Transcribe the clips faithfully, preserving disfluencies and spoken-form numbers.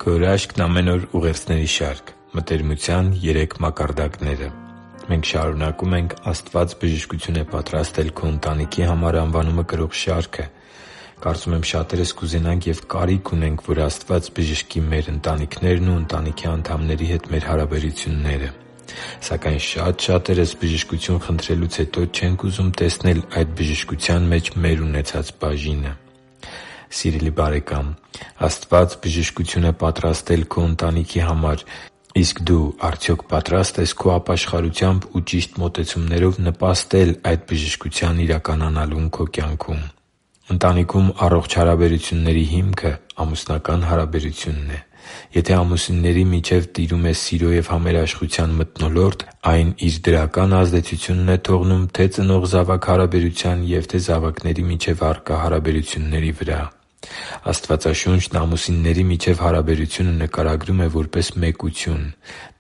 Քո հրաշքն՝ ամեն օր ուղերձների շարք։ Մտերմության երեք մակարդակները։ Մենք շարունակում ենք «Աստված բժշկություն է պատրաստել քո ընտանիքի համար» անվանումը կրող շարքը։ Կարծում եմ՝ շատերս կուզենանք և կարիք ունենք, որ Աստված բժշկի մեր ընտանիքներն ու ընտանիքի անդամների հետ մեր հարաբերությունները։ Սակայն շատ շատերս բժշկություն խնդրելուց հետո չենք ուզում տեսնել այդ բժշկության մեջ մեր ունեցած բաժինը։ Սիրելի՛ բարեկամ, Աստված բժշկություն է պատրաստել քո ընտանիքի համար, իսկ դու արդյոք պատրա՞ստ ես քո ապաշխարությամբ ու ճիշտ մոտեցումներով նպաստել այդ բժշկության իրականանալուն քո կյանքում։ Ընտանիքում առողջ հարաբերությունների հիմքը ամուսնական հարաբերությունն է։ Եթե ամուսինների միջև տիրում է սիրո և համերաշխության մթնոլորտ, այն իր դրական ազդեցությունն է թողնում թե՛ ծնող-զավակ հարաբերության և թե՛ զավակների միջև առկա հարաբերությունների վրա։ Աստվածաշունչն ամուսինների միջև հարաբերությունը նկարագրում է որպես մեկություն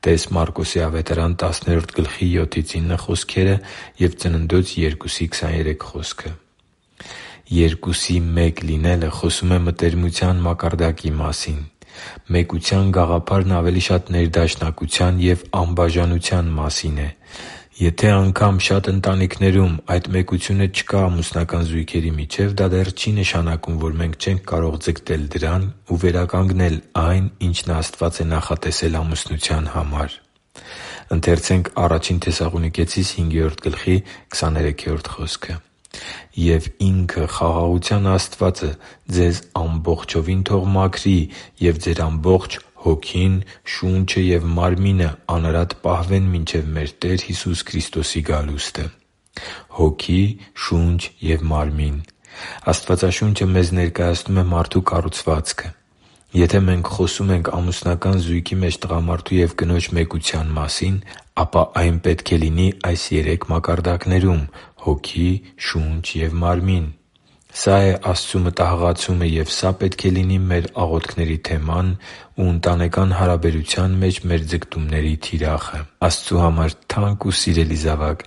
(տե՛ս Մարկոս տասներորդ գլխի յոթից ինը խոսքերը և Ծննդոց երկուսի քսաներեք խոսքը)։ Երկուսի մեկ լինելը խոսում է մտերմության մակարդակի մասին։ Մեկության գաղափարն ավելի շատ ներդաշնակության և անբաժանության մասին է։ Եթե անգամ շատ ընտանիքներում այդ մեկությունը չկա ամուսնական զույգերի միջև, դա դեռ չի նշանակում, որ մենք չենք կարող ձգտել դրան ու վերականգնել այն, ինչն Աստված է նախատեսել ամուսնության համար։ «Եվ Ինքը՝ խաղաղության Աստվածը, ձեզ ամբողջովին թող մաքրի, և ձեր ամբողջ հոգին, շունչը և մարմինը անարատ պահվեն մինչև մեր Տեր Հիսուս Քրիստոսի գալուստը» (Ա Հոգի, շունչ և մարմին)։ Աստվածաշունչը մեզ ներկայացնում է մարդու կառուցվածքը։ Եթե մենք խոսում ենք ամուսնական զույգի մեջ տղամարդու և կնոջ մեկության մասին, ապա այն պետք է լինի այս երեք մակարդակներում՝ հոգի, շունչ և մարմին։ Սա է Աստծու մտահղացումը, և սա պետք է լինի մեր աղոթքների թեման ու ընտանեկան հարաբերության մեջ մեր ձգտումների թիրախը։ Աստծու համար թանկ ու սիրելի՛ զավակ,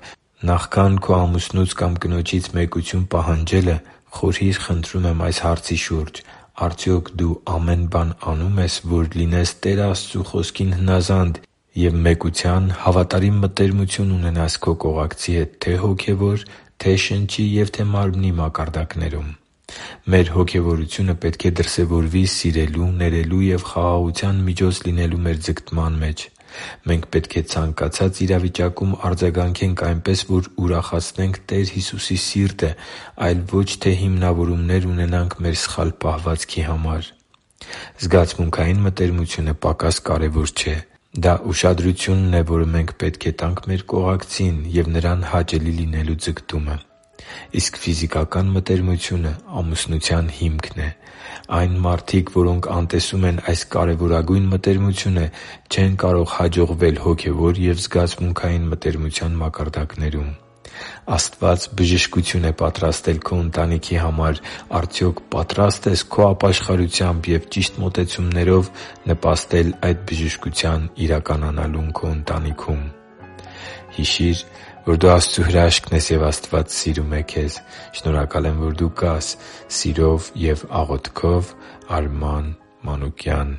նախքան քո ամուսնուց կամ կնոջից մեկություն պահանջելը, խորհի՛ր, խնդրում եմ, այս հարցի շուրջ. արդյոք դու ամեն բան անում ես, որ լինես Տեր Աստծու Խոսքին հնազանդ և մեկության, հավատարիմ մտերմություն ունենաս քո կողակցի հետ թե՛ հոգևոր, թե՛ շնչի և թե՛ մարմնի մակարդակներում։ Մեր հոգևորությունը պետք է դրսևորվի սիրելու, ներելու և խաղաղության միջոց լինելու մեր ձգտման մեջ։ Մենք պետք է ցանկացած իրավիճակում արձագանքենք այնպես, որ ուրախացնենք Տեր Հիսուսի սիրտը, այլ ոչ թե հիմնավորումներ ունենանք մեր սխալ պահվածքի համար։ Զգացմունքային մտերմությունը պակաս կարևոր չէ։ Դա ուշադրությունն է, որը մենք պետք է տանք մեր կողակցին և նրան հաճելի լինելու ձգտումը։ Իսկ ֆիզիկական մտերմությունը ամուսնության հիմքն է։ Այն մարդիկ, որոնք անտեսում են այս կարևորագույն մտերմությունը, չեն կարող հաջողվել հոգևոր և զգացմունքային մտերմության մակարդակներում։ Աստված բժշկություն է պատրաստել քո ընտանիքի համար։ Արդյոք պատրա՞ստ ես քո ապաշխարությամբ և ճիշտ մոտեցումներով նպաստել այդ բժշկության իրականանալուն քո ընտանիքում։ Հիշի՛ր, որ դու Աստծո հրաշքն ես, և Աստված սիրում է քեզ։ Շնորհակալ եմ, որ դու կա՛ս։ Սիրով և աղոթքով՝ Արման Մանուկյան։